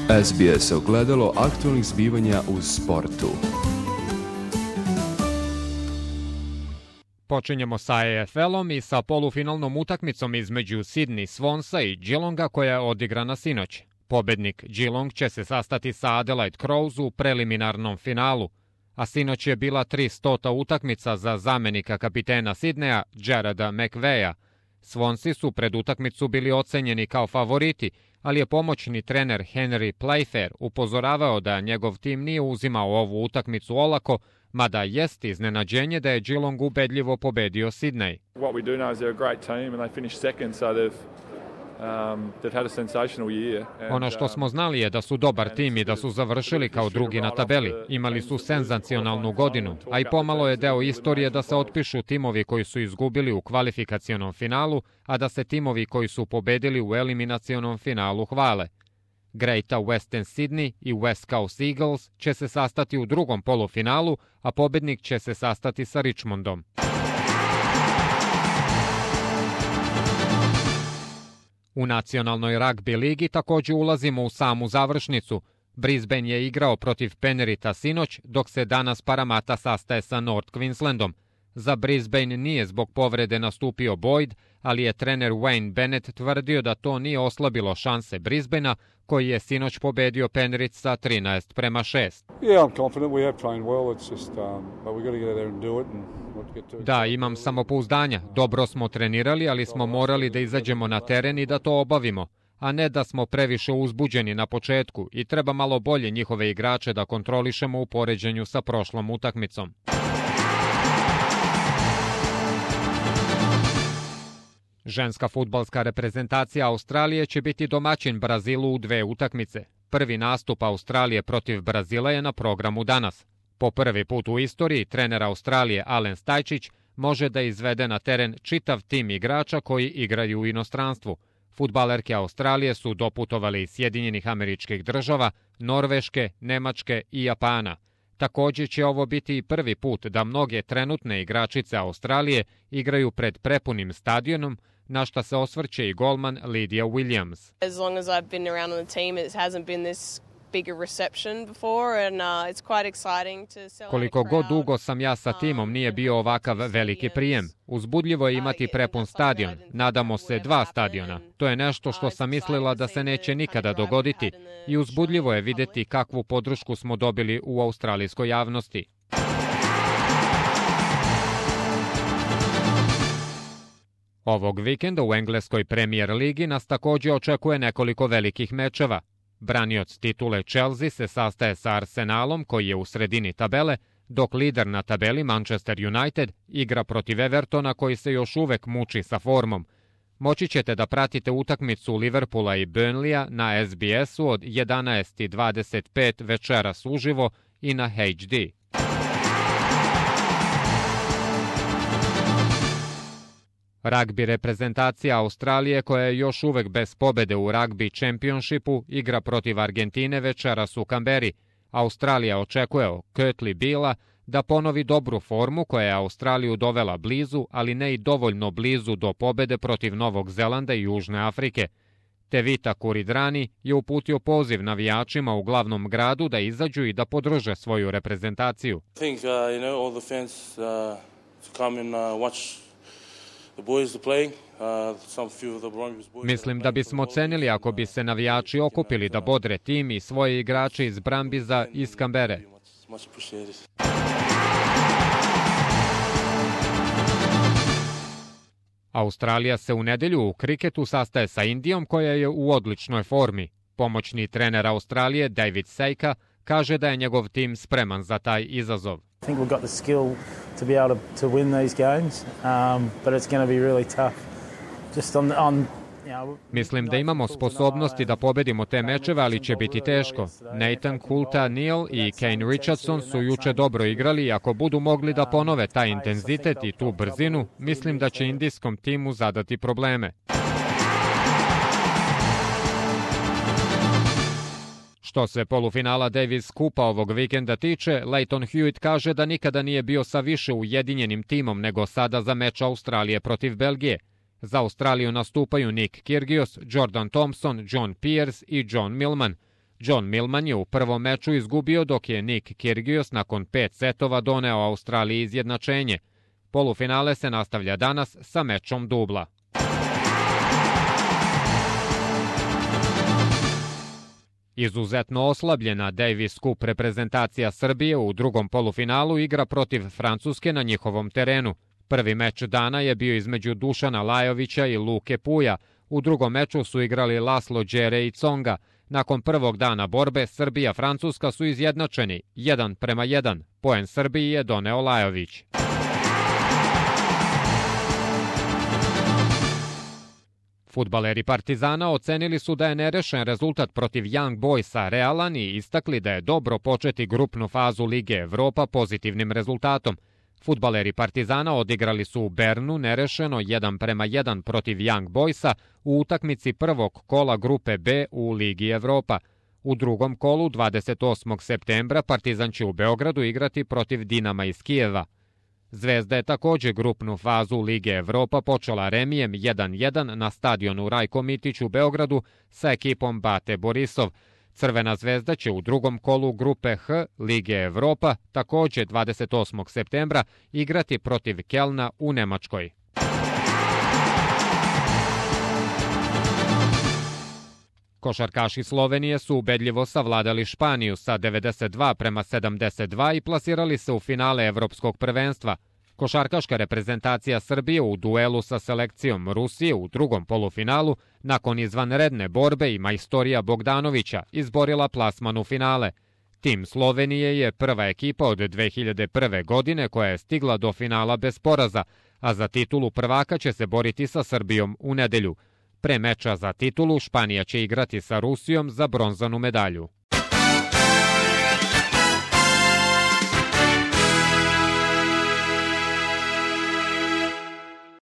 SBS ogledalo aktualnih zbivanja u sportu. Počinjemo sa AFL-om i sa polufinalnom utakmicom između Sydney Swansa i Geelonga koja je odigrana sinoć. Pobednik Geelong će se sastati sa Adelaide Crows u preliminarnom finalu, a sinoć je bila 300. utakmica za zamenika kapitena Sidneja Jarrada McVeya. Swansi su pred utakmicu bili ocenjeni kao favoriti, ali je pomoćni trener Henry Playfair upozoravao da njegov tim nije uzimao ovu utakmicu olako, mada jest iznenađenje da je Geelong ubedljivo pobedio Sydney. What we do know is they're a great team and they finished second, so they've had a sensational year. Ono što smo znali je da su dobar tim i da su završili kao drugi na tabeli. Imali su senzacionalnu godinu, a i pomalo je deo istorije da se otpišu timovi koji su izgubili u kvalifikacionom finalu, a da se timovi koji su pobedili u eliminacionom finalu hvale. Greater Western Sydney i West Coast Eagles će se sastati u drugom polufinalu, a pobednik će se sastati sa Richmondom. U nacionalnoj ragbi ligi također ulazimo u samu završnicu. Brisbane je igrao protiv Penrita sinoć, dok se danas Parramatta sastaje sa North Queenslandom. Za Brisbane nije zbog povrede nastupio Boyd, ali je trener Wayne Bennett tvrdio da to nije oslabilo šanse Brisbanea, koji je sinoć pobedio Penrith sa 13-6. Da, imam samopouzdanja. Dobro smo trenirali, ali smo morali da izađemo na teren i da to obavimo, a ne da smo previše uzbuđeni na početku i treba malo bolje njihove igrače da kontrolišemo u poređenju sa prošlom utakmicom. Ženska fudbalska reprezentacija Australije će biti domaćin Brazilu u 2 utakmice. Prvi nastup Australije protiv Brazila je na programu danas. Po prvi put u istoriji trener Australije Alen Stajčić može da izvede na teren čitav tim igrača koji igraju u inostranstvu. Fudbalerke Australije su doputovali iz Sjedinjenih Američkih Država, Norveške, Nemačke i Japana. Također će ovo biti i prvi put da mnoge trenutne igračice Australije igraju pred prepunim stadionom, na šta se osvrće i golman Lydia Williams. As long as I've been around on the team, it hasn't been this big a reception before and it's quite exciting to celebrate. Koliko god dugo sam ja sa timom, nije bio ovakav veliki prijem. Uzbudljivo je imati prepun stadion. Nadamo se 2 stadiona. To je nešto što sam mislila da se neće nikada dogoditi i uzbudljivo je vidjeti kakvu podršku smo dobili u australijskoj javnosti. Ovog vikenda u engleskoj Premier ligi nas također očekuje nekoliko velikih mečeva. Branioc titule Chelsea se sastaje sa Arsenalom koji je u sredini tabele, dok lider na tabeli Manchester United igra protiv Evertona koji se još uvek muči sa formom. Moći ćete da pratite utakmicu Liverpoola i Burnleya na SBS-u od 11:25 večeras uživo i na HD. Ragbi reprezentacija Australije, koja je još uvek bez pobede u Rugby Championshipu, igra protiv Argentine večeras u Kamberi. Australija očekuje od Kurtley Beala da ponovi dobru formu koja je Australiju dovela blizu, ali ne i dovoljno blizu do pobede protiv Novog Zelanda i Južne Afrike. Tevita Kuridrani je uputio poziv navijačima u glavnom gradu da izađu i da podrže svoju reprezentaciju. Mislim da bismo cenili ako bi se navijači okupili da bodre tim i svoje igrače iz Brambiza i iz Kambere. Australija se u nedelju u kriketu sastaje sa Indijom koja je u odličnoj formi. Pomoćni trener Australije David Seika kaže da je njegov tim spreman za taj izazov. I think we've got the skill to be able to win these games, but it's going to be really tough. Just on Mislim da imamo sposobnosti da pobedimo te mečeve, ali će biti teško. Nathan Coulter-Neill i Kane Richardson su juče dobro igrali i ako budu mogli da ponove taj intenzitet i tu brzinu, mislim da će indijskom timu zadati probleme. Što se polufinala Davis Kupa ovog vikenda tiče, Leighton Hewitt kaže da nikada nije bio sa više ujedinjenim timom nego sada za meč Australije protiv Belgije. Za Australiju nastupaju Nick Kyrgios, Jordan Thompson, John Peers i John Millman, John Millman je u prvom meču izgubio, dok je Nick Kyrgios nakon 5 setova doneo Australiji izjednačenje. Polufinale se nastavlja danas sa mečom dubla. Izuzetno oslabljena Davis Cup reprezentacija Srbije u drugom polufinalu igra protiv Francuske na njihovom terenu. Prvi meč dana je bio između Dušana Lajovića i Luke Puja. U drugom meču su igrali Laslo Đere i Tsonga. Nakon prvog dana borbe, Srbija-Francuska su izjednačeni 1:1. Poen Srbiji je doneo Lajović. Fudbaleri Partizana ocenili su da je nerešen rezultat protiv Young Boysa realan i istakli da je dobro početi grupnu fazu Lige Evropa pozitivnim rezultatom. Fudbaleri Partizana odigrali su u Bernu nerešeno 1:1 protiv Young Boysa u utakmici prvog kola grupe B u Ligi Evropa. U drugom kolu 28. septembra Partizan će u Beogradu igrati protiv Dinama iz Kijeva. Zvezda je također grupnu fazu Lige Evropa počela remijem 1:1 na stadionu Rajko Mitić u Beogradu sa ekipom Bate Borisov. Crvena zvezda će u drugom kolu grupe H Lige Evropa također 28. septembra igrati protiv Kelna u Nemačkoj. Košarkaši Slovenije su ubedljivo savladali Španiju sa 92:72 i plasirali se u finale Evropskog prvenstva. Košarkaška reprezentacija Srbije u duelu sa selekcijom Rusije u drugom polufinalu nakon izvanredne borbe i majstorija Bogdanovića izborila plasman u finale. Tim Slovenije je prva ekipa od 2001. godine koja je stigla do finala bez poraza, a za titulu prvaka će se boriti sa Srbijom u nedelju. Pre meča za titulu Španija će igrati sa Rusijom za bronzanu medalju.